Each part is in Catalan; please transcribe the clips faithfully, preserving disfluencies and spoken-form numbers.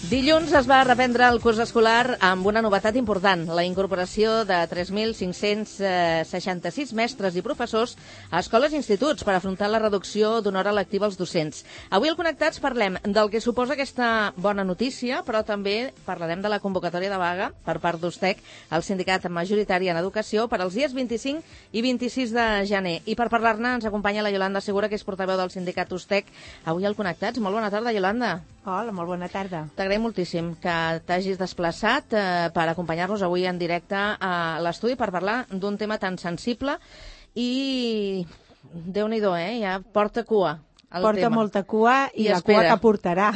Dilluns es va reprendre el curs escolar amb una novetat important, la incorporació de tres mil cinc-cents seixanta-sis mestres i professors a escoles i instituts per afrontar la reducció d'una hora lectiva als docents. Avui al Connectats parlem del que suposa aquesta bona notícia, però també parlarem de la convocatòria de vaga per part d'USTEC, el sindicat majoritari en educació, per als dies vint-i-cinc i vint-i-sis de gener. I per parlar-ne ens acompanya la Iolanda Segura, que és portaveu del sindicat USTEC. Avui al Connectats. Molt bona tarda, Iolanda. Hola, molt bona tarda. T'agraïm moltíssim que t'hagis desplaçat eh, per acompanyar-nos avui en directe a l'estudi per parlar d'un tema tan sensible i, Déu-n'hi-do, eh? Ja porta cua el porta tema. molta cua i, I la espera. cua que portarà.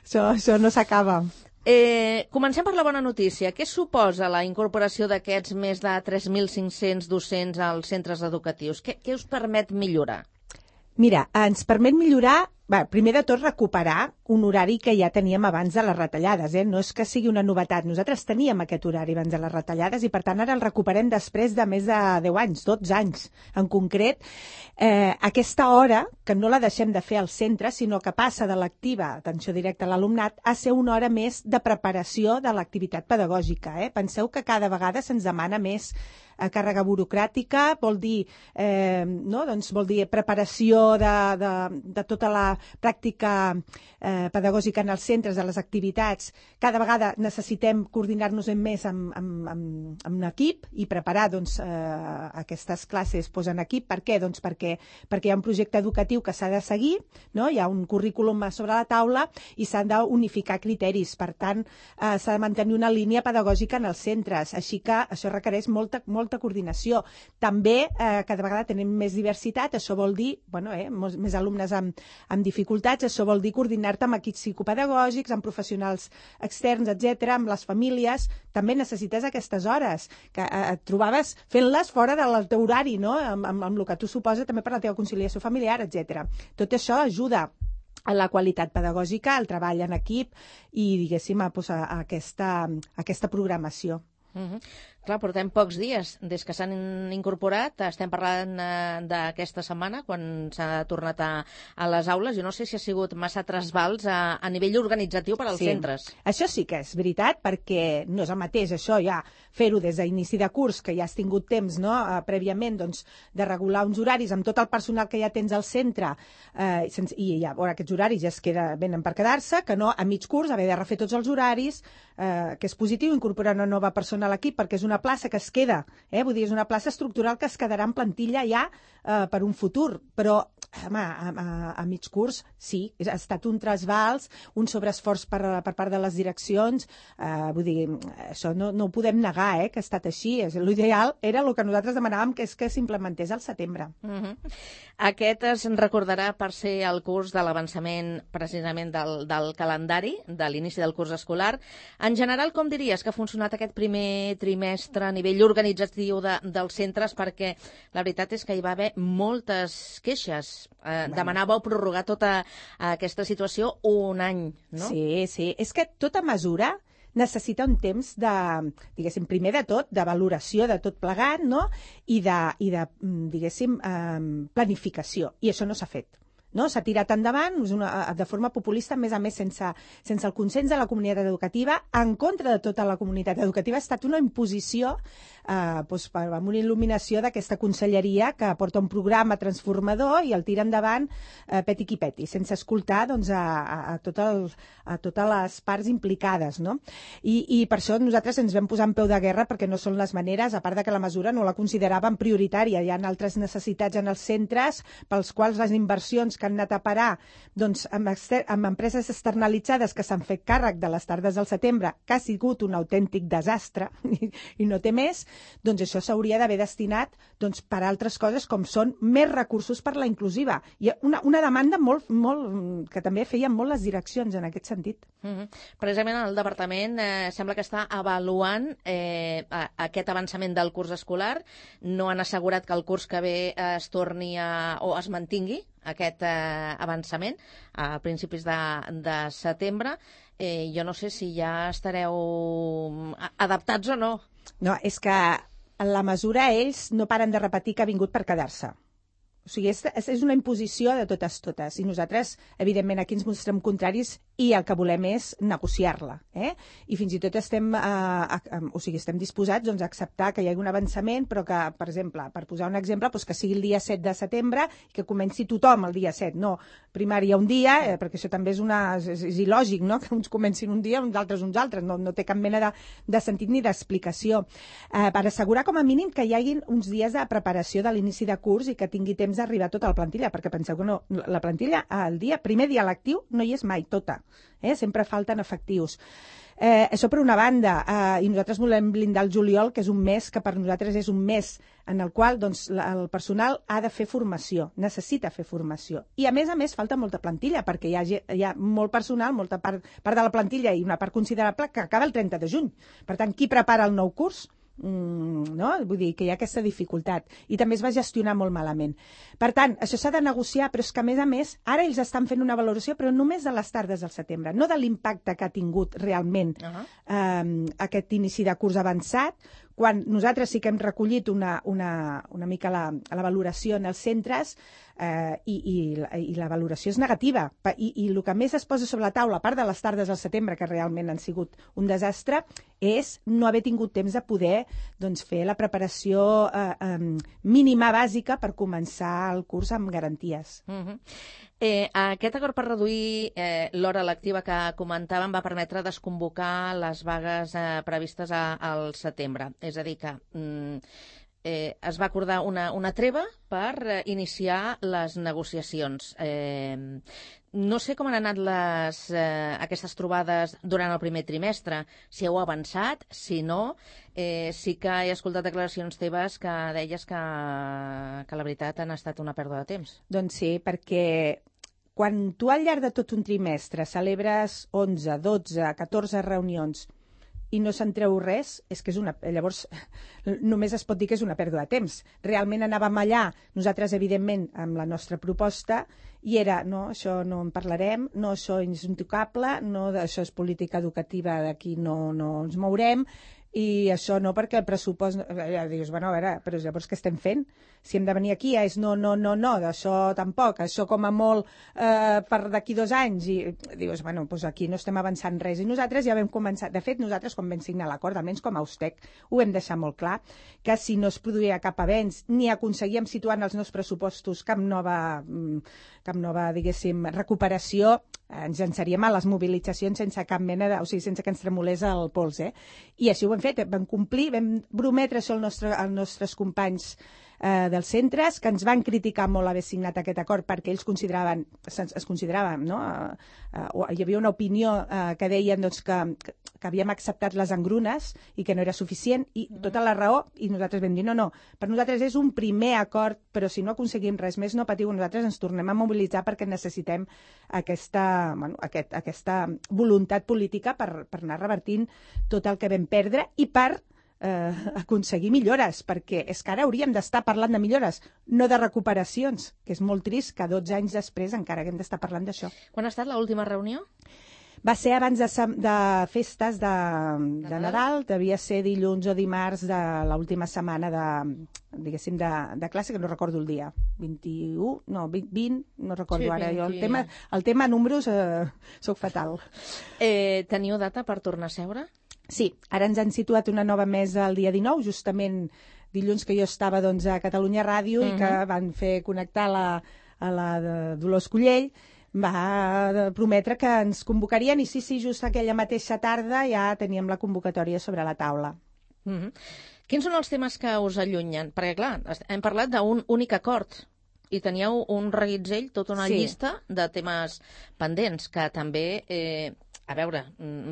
això, això no s'acaba. Eh, comencem per la bona notícia. Què suposa la incorporació d'aquests més de tres mil cinc-cents docents als centres educatius? Què, què us permet millorar? Mira, ens permet millorar, bé, primer de tot recuperar un horari que ja teníem abans de les retallades, eh? No és que sigui una novetat, nosaltres teníem aquest horari abans de les retallades i per tant ara el recuperem després de més de deu anys, dotze anys en concret. Eh, aquesta hora, que no la deixem de fer al centre, sinó que passa de l'activa, atenció directa a l'alumnat, a ser una hora més de preparació de l'activitat pedagògica. Eh? Penseu que cada vegada se'ns demana més a càrrega burocràtica, vol dir, eh, no? doncs vol dir preparació de, de, de tota la pràctica eh, pedagògica en els centres, de les activitats. Cada vegada necessitem coordinar-nos més amb, amb, amb, amb un equip i preparar doncs, eh, aquestes classes doncs, en equip. Per què? Doncs perquè, perquè hi ha un projecte educatiu que s'ha de seguir, no? Hi ha un currículum sobre la taula i s'han d'unificar criteris. Per tant, eh, s'ha de mantenir una línia pedagògica en els centres. Així que això requereix molta, molta coordinació. També eh, cada vegada tenim més diversitat, això vol dir bueno, eh, molts, més alumnes amb, amb dificultats, això vol dir coordinar-te amb equips psicopedagògics, amb professionals externs, etcètera, amb les famílies. També necessites aquestes hores, que eh, et trobaves fent-les fora del teu horari, no? amb, amb, amb el que tu suposa també per la teva conciliació familiar, etcètera. Tot això ajuda a la qualitat pedagògica, al treball en equip i, diguéssim, a, a, a, aquesta, a aquesta programació. Uh-huh. Clar, portem pocs dies des que s'han incorporat. Estem parlant eh, d'aquesta setmana, quan s'ha tornat a, a les aules. Jo no sé si ha sigut massa trasbals a, a nivell organitzatiu per als sí. centres. Això sí que és veritat, perquè no és el mateix això ja fer-ho des d'inici de curs, que ja has tingut temps no, eh, prèviament doncs, de regular uns horaris amb tot el personal que ja tens al centre eh, sense, i ja, bueno, aquests horaris ja es queda, venen per quedar-se, que no a mig curs haver de refer tots els horaris, eh, que és positiu incorporar una nova persona a l'equip perquè és una plaça que es queda, eh? Vull dir, és una plaça estructural que es quedarà en plantilla ja eh, per un futur, però home, a, a, a mig curs sí, ha estat un trasbals, un sobreesforç per, per part de les direccions, eh, vull dir, això no, no ho podem negar, eh, que ha estat així. L'ideal era el que nosaltres demanàvem, que és que s'implementés al setembre. Uh-huh. Aquest es recordarà per ser el curs de l'avançament precisament del, del calendari, de l'inici del curs escolar. En general, com diries que ha funcionat aquest primer trimestre a nivell organitzatiu de, dels centres? Perquè la veritat és que hi va haver moltes queixes. Eh, demanàveu prorrogar tota aquesta situació un any, no? Sí, sí. És que tota mesura necessita un temps de, diguéssim, primer de tot, de valoració de tot plegat, no? I de, i de diguéssim, eh, planificació. I això no s'ha fet. No? S'ha tirat endavant una, de forma populista, a més a més sense, sense el consens de la comunitat educativa, en contra de tota la comunitat educativa. Ha estat una imposició eh, doncs, per, amb una il·luminació d'aquesta conselleria que porta un programa transformador i el tira endavant eh, peti qui peti, sense escoltar doncs, a, a, a, tot el, a totes les parts implicades. No? I, I per això nosaltres ens vam posar en peu de guerra, perquè no són les maneres, a part de que la mesura no la consideràvem prioritària. Hi ha altres necessitats en els centres pels quals les inversions que han anat a parar doncs, amb, exter amb empreses externalitzades que s'han fet càrrec de les tardes del setembre, que ha sigut un autèntic desastre i, i no té més, doncs això s'hauria d'haver destinat doncs, per a altres coses com són més recursos per la inclusiva. I una, una demanda molt, molt, que també feien molt les direccions en aquest sentit. Mm-hmm. Precisament el departament eh, sembla que està avaluant eh, a, aquest avançament del curs escolar. No han assegurat que el curs que ve eh, es torni a, o es mantingui aquest eh, avançament a principis de, de setembre. Eh, jo no sé si ja estareu adaptats o no. No, és que en la mesura ells no paren de repetir que ha vingut per quedar-se. O sigui, és, és una imposició de totes totes. I nosaltres, evidentment, aquí ens mostrem contraris i el que volem és negociar-la. Eh? I fins i tot estem, eh, a, a, o sigui, estem disposats doncs, a acceptar que hi hagi un avançament, però que, per exemple, per posar un exemple, doncs que sigui el dia set de setembre i que comenci tothom el dia set. No, primària un dia, eh, perquè això també és, una, és, és il·lògic, no? Que uns comencin un dia, uns altres uns altres. No, no té cap mena de, de sentit ni d'explicació. Eh, per assegurar com a mínim que hi hagi uns dies de preparació de l'inici de curs i que tingui temps d'arribar tota la plantilla, perquè penseu que no, la plantilla, el dia, primer dia lectiu, no hi és mai tota. Eh? Sempre falten efectius. Eh, això per una banda, eh, i nosaltres volem blindar el juliol, que és un mes que per nosaltres és un mes en el qual doncs, la, el personal ha de fer formació, necessita fer formació. I a més a més falta molta plantilla, perquè hi ha, hi ha molt personal, molta part, part de la plantilla i una part considerable que acaba el trenta de juny. Per tant, qui prepara el nou curs? Mm, no? Vull dir que hi ha aquesta dificultat i també es va gestionar molt malament. Per tant, això s'ha de negociar, però és que a més a més ara ells estan fent una valoració, però només de les tardes del setembre, no de l'impacte que ha tingut realment uh-huh. eh, aquest inici de curs avançat, quan nosaltres sí que hem recollit una, una, una mica la, la valoració en els centres eh, i, i, i la valoració és negativa. I, I el que més es posa sobre la taula, a part de les tardes al setembre, que realment han sigut un desastre, és no haver tingut temps de poder doncs, fer la preparació eh, eh, mínima bàsica per començar el curs amb garanties. Uh-huh. Eh, aquest acord per reduir eh, l'hora lectiva que comentàvem va permetre desconvocar les vagues eh, previstes a, al setembre. És a dir, que mm, eh, es va acordar una, una treva per eh, iniciar les negociacions. Eh, no sé com han anat les, eh, aquestes trobades durant el primer trimestre, si heu avançat, si no. Eh, sí que he escoltat declaracions teves que deies que, que la veritat han estat una pèrdua de temps. Doncs sí, perquè quan tu al llarg de tot un trimestre celebres onze, dotze, catorze reunions i no se'n treu res, és que és una... Llavors, només es pot dir que és una pèrdua de temps. Realment anàvem allà, nosaltres, evidentment, amb la nostra proposta, i era, no, això no en parlarem, no, això és intocable, no, això és política educativa, d'aquí no, no ens mourem, i això no perquè el pressupost... Ja dius, bueno, a veure, però llavors què estem fent? Si hem de venir aquí és no, no, no, no, d'això tampoc, això com a molt eh, per d'aquí dos anys, i dius, bueno, doncs aquí no estem avançant res. I nosaltres ja vam començar, de fet, nosaltres quan vam signar l'acord, almenys com a Ustec, ho vam deixar molt clar, que si no es produïa cap avenç, ni aconseguíem situar en els nous pressupostos cap nova, cap nova, diguéssim, recuperació, ens llançaríem a les mobilitzacions sense cap mena de... O sigui, sense que ens tremolés el pols, eh? I així ho hem fet, vam complir, vam prometre això al nostre, als nostres companys eh, dels centres, que ens van criticar molt haver signat aquest acord perquè ells consideraven, es, es consideraven, no? Eh, eh, hi havia una opinió eh, que deien doncs, que, que havíem acceptat les engrunes i que no era suficient, i tota la raó, i nosaltres vam dir, no, no, per nosaltres és un primer acord, però si no aconseguim res més, no patiu, nosaltres ens tornem a mobilitzar perquè necessitem aquesta, bueno, aquest, aquesta voluntat política per, per anar revertint tot el que vam perdre i per eh, aconseguir millores, perquè és que ara hauríem d'estar parlant de millores, no de recuperacions, que és molt trist que dotze anys després encara haguem d'estar parlant d'això. Quan ha estat l'última reunió? Va ser abans de, de festes de, de Nadal, devia ser dilluns o dimarts de l'última setmana de, diguéssim, de, de classe, que no recordo el dia, vint-i-u, no, vint, no recordo sí, ara. Jo el tema, el tema números eh, soc fatal. Eh, teniu data per tornar a seure? Sí, ara ens han situat una nova mesa el dia dinou, justament dilluns que jo estava doncs, a Catalunya Ràdio uh-huh. i que van fer connectar la, a la de Dolors Collell, va prometre que ens convocarien i sí, sí, just aquella mateixa tarda ja teníem la convocatòria sobre la taula. Mm-hmm. Quins són els temes que us allunyen? Perquè, clar, hem parlat d'un únic acord i teníeu un reguitzell, tota una sí. llista de temes pendents que també, eh, a veure,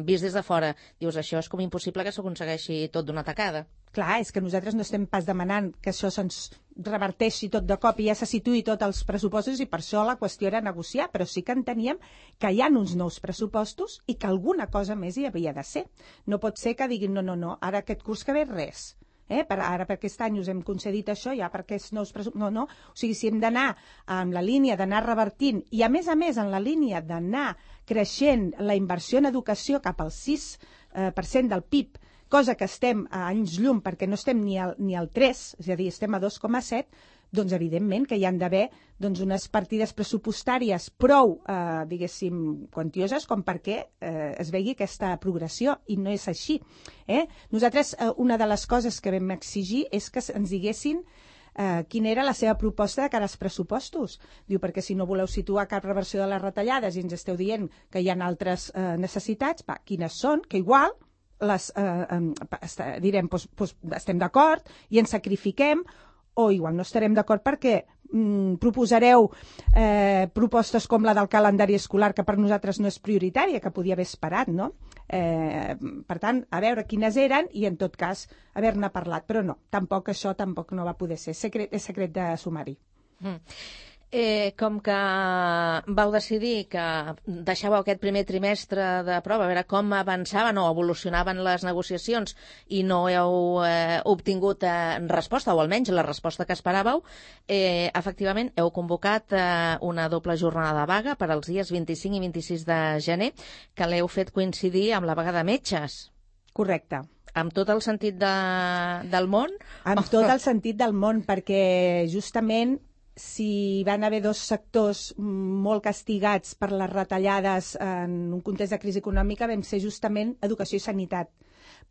vist des de fora, dius, això és com impossible que s'aconsegueixi tot d'una tacada. Clar, és que nosaltres no estem pas demanant que això se'ns reverteixi tot de cop i ja se situï tots els pressupostos i per això la qüestió era negociar, però sí que enteníem que hi ha uns nous pressupostos i que alguna cosa més hi havia de ser. No pot ser que diguin, no, no, no, ara aquest curs que ve res. Eh? Per, ara per aquest any us hem concedit això, ja per aquests nous pressupostos... No, no, o sigui, si hem d'anar en la línia d'anar revertint i a més a més en la línia d'anar creixent la inversió en educació cap al sis per cent del P I B, cosa que estem a anys llum perquè no estem ni al, ni al tres, és a dir, estem a dos coma set, doncs evidentment que hi han d'haver doncs, unes partides pressupostàries prou, eh, diguéssim, quantioses com perquè eh, es vegi aquesta progressió, i no és així. Eh? Nosaltres, eh, una de les coses que vam exigir és que ens diguessin eh, quina era la seva proposta de cara als pressupostos. Diu, perquè si no voleu situar cap reversió de les retallades i ens esteu dient que hi ha altres eh, necessitats, va, quines són, que igual les, eh, eh, direm, doncs, doncs, estem d'acord i ens sacrifiquem, o igual no estarem d'acord perquè mm, proposareu eh, propostes com la del calendari escolar, que per nosaltres no és prioritària, que podia haver esperat, no? Eh, per tant, a veure quines eren i, en tot cas, haver-ne parlat. Però no, tampoc això tampoc no va poder ser. Secret, és secret de sumari. Mm. Eh, com que vau decidir que deixàveu aquest primer trimestre de prova, a veure com avançaven o evolucionaven les negociacions i no heu eh, obtingut eh, resposta, o almenys la resposta que esperàveu, eh, efectivament heu convocat eh, una doble jornada de vaga per als dies vint-i-cinc i vint-i-sis de gener, que l'heu fet coincidir amb la vaga de metges. Correcte. Amb tot el sentit de, del món? Amb tot el sentit del món, perquè justament si van haver dos sectors molt castigats per les retallades en un context de crisi econòmica, vam ser justament educació i sanitat.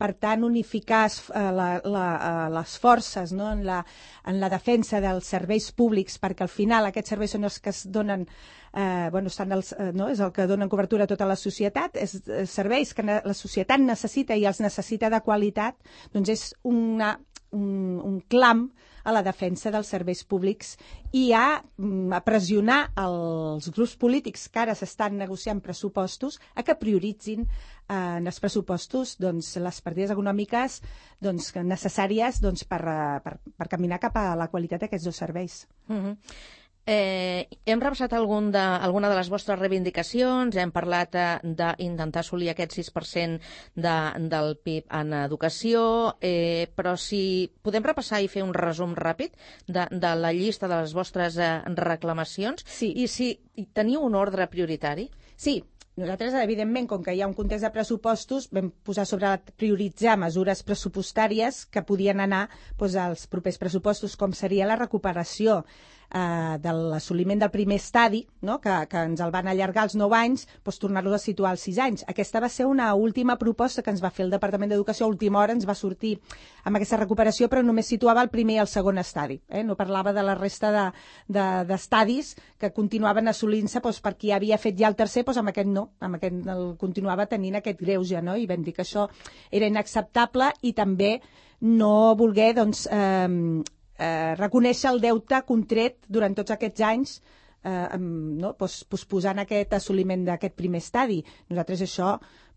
Per tant, unificar eh, la, la, eh, les forces, no? en, la, en la defensa dels serveis públics, perquè al final aquests serveis són els que es donen, eh, bueno, estan els, eh, no? és el que donen cobertura a tota la societat, és, és serveis que la societat necessita i els necessita de qualitat, doncs és una, un, un clam a la defensa dels serveis públics i a, a pressionar els grups polítics que ara s'estan negociant pressupostos a que prioritzin eh, en els pressupostos doncs, les partides econòmiques doncs, necessàries doncs, per, per, per caminar cap a la qualitat d'aquests dos serveis. Mm-hmm. Eh, hem repassat algun de, alguna de les vostres reivindicacions, hem parlat eh, d'intentar assolir aquest sis per cent de, del P I B en educació, eh, però si podem repassar i fer un resum ràpid de, de la llista de les vostres eh, reclamacions, sí. I si teniu un ordre prioritari? Sí. Nosaltres, evidentment, com que hi ha un context de pressupostos, vam posar sobre prioritzar mesures pressupostàries que podien anar doncs, als propers pressupostos, com seria la recuperació eh, de l'assoliment del primer estadi, no? que, que ens el van allargar als nou anys, doncs, tornar-lo a situar als sis anys. Aquesta va ser una última proposta que ens va fer el Departament d'Educació, a última hora ens va sortir amb aquesta recuperació, però només situava el primer i el segon estadi. Eh? No parlava de la resta de, de, d'estadis que continuaven assolint-se doncs, per qui havia fet ja el tercer, doncs amb aquest no. amb aquest el continuava tenint aquest greuge, no? I vam dir que això era inacceptable i també no voler doncs, eh, eh, reconèixer el deute contret durant tots aquests anys eh, no? Pos, posposant aquest assoliment d'aquest primer estadi. Nosaltres això,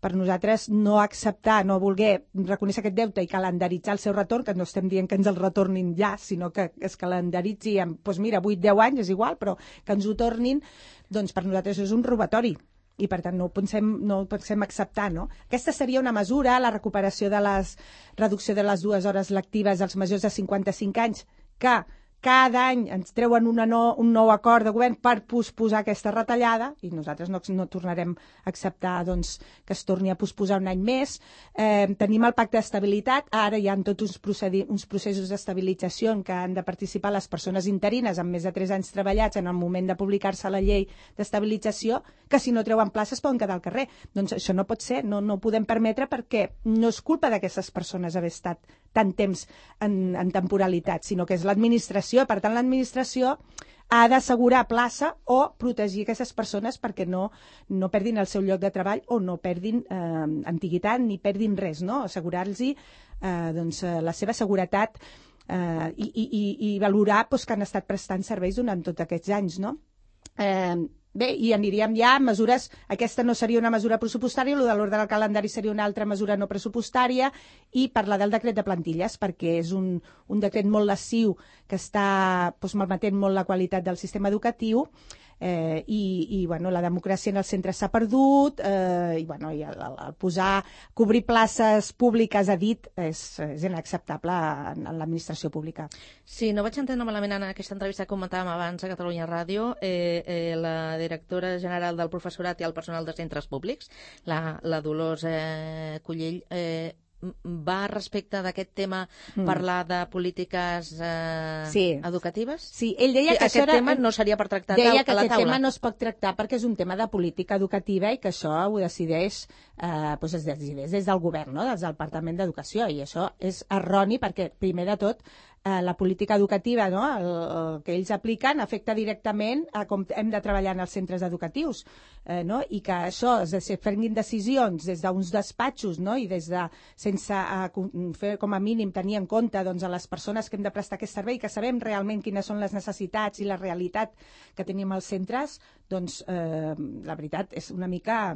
per nosaltres, no acceptar, no voler reconèixer aquest deute i calendaritzar el seu retorn, que no estem dient que ens el retornin ja, sinó que es calendaritzi en, doncs mira, vuit deu anys, és igual, però que ens ho tornin, doncs per nosaltres és un robatori. I per tant no ho pensem, no ho pensem acceptar, no? Aquesta seria una mesura, la recuperació de les reducció de les dues hores lectives als majors de cinquanta-cinc anys, que cada any ens treuen una no, un nou acord de govern per posposar aquesta retallada, i nosaltres no, no tornarem a acceptar doncs, que es torni a posposar un any més. Eh, tenim el pacte d'estabilitat, ara hi ha tots uns, procedi- uns processos d'estabilització en què han de participar les persones interines amb més de tres anys treballats en el moment de publicar-se la llei d'estabilització, que si no treuen places poden quedar al carrer. Doncs això no pot ser, no, no ho podem permetre, perquè no és culpa d'aquestes persones haver estat tant temps en, en temporalitat, sinó que és l'administració. Per tant, l'administració ha d'assegurar plaça o protegir aquestes persones perquè no, no perdin el seu lloc de treball o no perdin eh, antiguitat ni perdin res, no? Assegurar-los eh, doncs, la seva seguretat eh, i, i, i valorar doncs, que han estat prestant serveis durant tots aquests anys, no? Eh, Bé, i aniríem ja a mesures, aquesta no seria una mesura pressupostària, el de l'ordre del calendari seria una altra mesura no pressupostària, i parlar del decret de plantilles, perquè és un, un decret molt lesiu que està doncs, malmetent molt la qualitat del sistema educatiu, eh, i, i bueno, la democràcia en els centres s'ha perdut, eh, i, bueno, i el, el posar, cobrir places públiques a dit és, és inacceptable en, en l'administració pública. Si no vaig entendre malament en aquesta entrevista que comentàvem abans a Catalunya Ràdio, eh, eh, la directora general del professorat i el personal de centres públics, la, la Dolors eh, Cullell, eh, va respecte d'aquest tema mm. parlar de polítiques eh, sí. educatives? Sí, ell deia que aquest això era... tema no seria per tractar deia a la que taula. aquest tema no es pot tractar perquè és un tema de política educativa i que això ho decideix, eh, doncs es decideix des del govern, no? Des del Departament d'Educació, i això és erroni perquè, primer de tot, eh, la política educativa, no? el, el que ells apliquen afecta directament a com hem de treballar en els centres educatius, eh, no? I que això es de prenguin decisions des d'uns despatxos, no? I des de, sense eh, fer com a mínim tenir en compte doncs, a les persones que hem de prestar aquest servei, que sabem realment quines són les necessitats i la realitat que tenim als centres, doncs eh, la veritat és una mica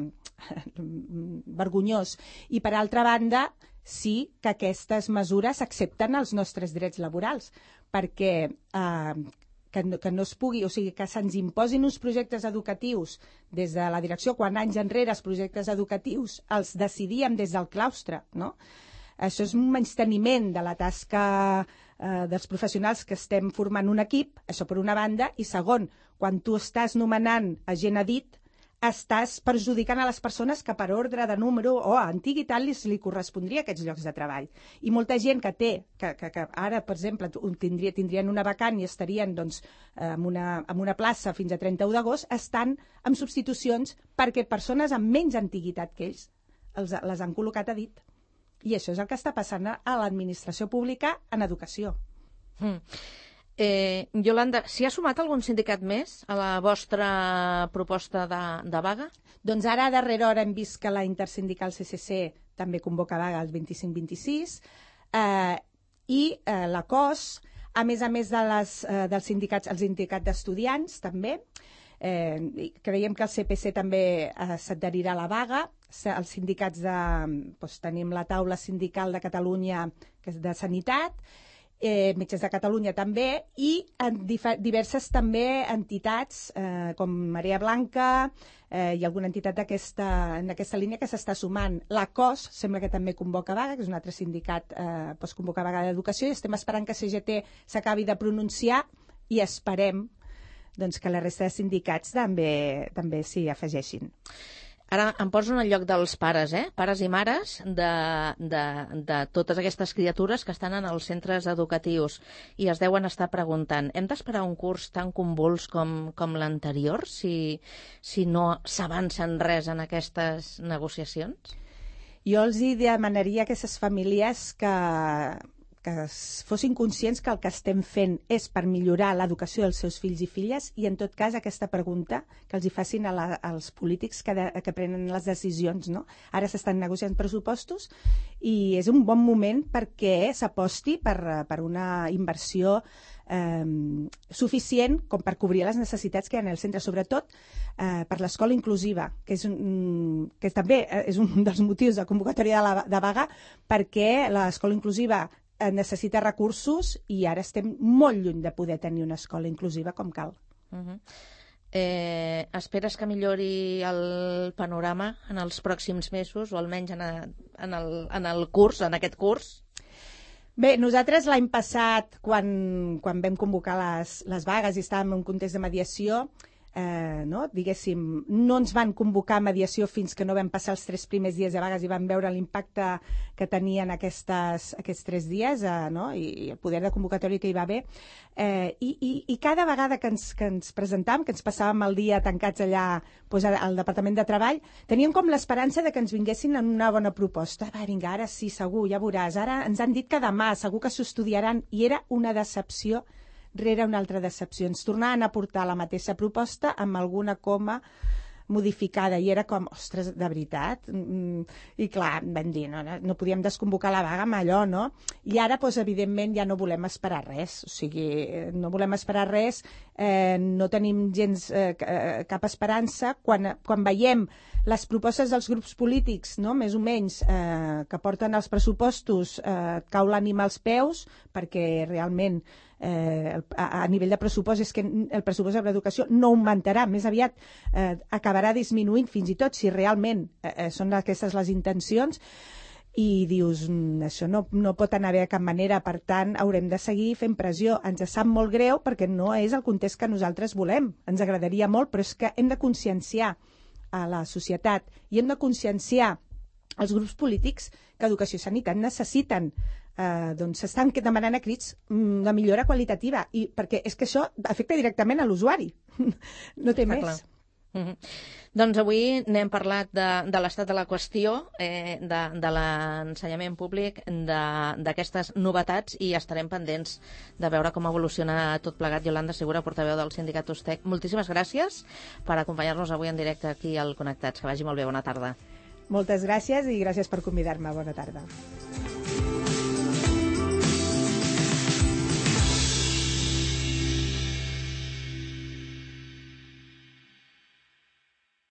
vergonyós. I per altra banda, sí que aquestes mesures accepten els nostres drets laborals, perquè eh, que no, que no es pugui, o sigui, que se'ns imposin uns projectes educatius des de la direcció, quan anys enrere els projectes educatius els decidíem des del claustre, no? Això és un menysteniment de la tasca eh, dels professionals que estem formant un equip, això per una banda, i segon, quan tu estàs nomenant a gent a dit, estàs perjudicant a les persones que per ordre de número o antiguitat li, li correspondria aquests llocs de treball. I molta gent que té, que, que, que ara, per exemple, tindria, tindrien una vacant i estarien doncs, en, una, en una plaça fins a trenta-u d'agost, estan en substitucions perquè persones amb menys antiguitat que ells els, les han col·locat a dit. I això és el que està passant a l'administració pública en educació. Mm. Eh, Yolanda, s'hi ha sumat algun sindicat més a la vostra proposta de, de vaga? Doncs ara, a darrera hora, hem vist que la intersindical C C C també convoca vaga el vint-i-cinc vint-i-sis eh, i eh, la C O S, a més a més de les, eh, dels sindicats, el sindicat d'estudiants també, eh, creiem que el C P C també eh, s'adherirà a la vaga, els sindicats de... Doncs, tenim la taula sindical de Catalunya, que és de Sanitat, Eh, Metges de Catalunya també, i en diverses també entitats eh, com Marea Blanca eh, i alguna entitat aquesta, en aquesta línia que s'està sumant. La C O S sembla que també convoca vaga, que és un altre sindicat eh, doncs convoca vaga d'educació, i estem esperant que C G T s'acabi de pronunciar i esperem doncs, que la resta de sindicats també, també s'hi afegeixin. Ara em poso en el lloc dels pares, eh? Pares i mares de, de, de totes aquestes criatures que estan en els centres educatius i es deuen estar preguntant, hem d'esperar un curs tan convuls com, com l'anterior si, si no s'avança en res en aquestes negociacions? Jo els hi demanaria a aquestes famílies que... que fossin conscients que el que estem fent és per millorar l'educació dels seus fills i filles, i en tot cas aquesta pregunta que els hi facin a la, als polítics que, de, que prenen les decisions, no? Ara s'estan negociant pressupostos i és un bon moment perquè s'aposti per, per una inversió eh, suficient com per cobrir les necessitats que hi ha en el centre, sobretot eh, per l'escola inclusiva, que, és un, que també és un dels motius de convocatòria de, la, de vaga, perquè l'escola inclusiva necessita recursos i ara estem molt lluny de poder tenir una escola inclusiva com cal. Uh-huh. eh, esperes que millori el panorama en els pròxims mesos o almenys en, a, en, el, en el curs, en aquest curs? Bé, nosaltres l'any passat, quan, quan vam convocar les, les vagues i estàvem en un context de mediació, Eh, no? diguéssim, no ens van convocar a mediació fins que no vam passar els tres primers dies de vagues i vam veure l'impacte que tenien aquestes, aquests tres dies eh, no? I, i el poder de convocatòria que hi va haver. Eh, i, i, I cada vegada que ens, que ens presentàvem, que ens passàvem el dia tancats allà doncs, al Departament de Treball, teníem com l'esperança de que ens vinguessin en una bona proposta. Va, vinga, ara sí, segur, ja veuràs. Ara ens han dit que demà, segur que s'ho estudiaran, i era una decepció rere una altra decepció. Ens tornaven a portar la mateixa proposta amb alguna coma modificada i era com, ostres, de veritat? Mm, I clar, vam dir, no, no podíem desconvocar la vaga amb allò, no? I ara, doncs, evidentment, ja no volem esperar res. O sigui, no volem esperar res, eh, no tenim gens eh, cap esperança. Quan, quan veiem les propostes dels grups polítics, no?, més o menys, eh, que porten els pressupostos, eh, cau l'ànima als peus, perquè realment eh, a, a nivell de pressupost és que el pressupost de l'educació no augmentarà, més aviat eh, acabarà disminuint, fins i tot si realment eh, són aquestes les intencions, i dius, això no, no pot anar bé de cap manera, per tant haurem de seguir fent pressió. Ens sap molt greu perquè no és el context que nosaltres volem, ens agradaria molt, però és que hem de conscienciar a la societat i hem de conscienciar els grups polítics que Educació i Sanitat necessiten. Eh, doncs s'estan demanant a crits de millora qualitativa, i perquè és que això afecta directament a l'usuari. No té Està més. clar. Mm-hmm. Doncs avui n'hem parlat de, de l'estat de la qüestió, eh, de, de l'ensenyament públic, d'aquestes novetats, i estarem pendents de veure com evoluciona tot plegat. Iolanda Segura, portaveu del sindicat USTEC, moltíssimes gràcies per acompanyar-nos avui en directe aquí al Connectats. Que vagi molt bé, bona tarda. Moltes gràcies i gràcies per convidar-me. Bona tarda.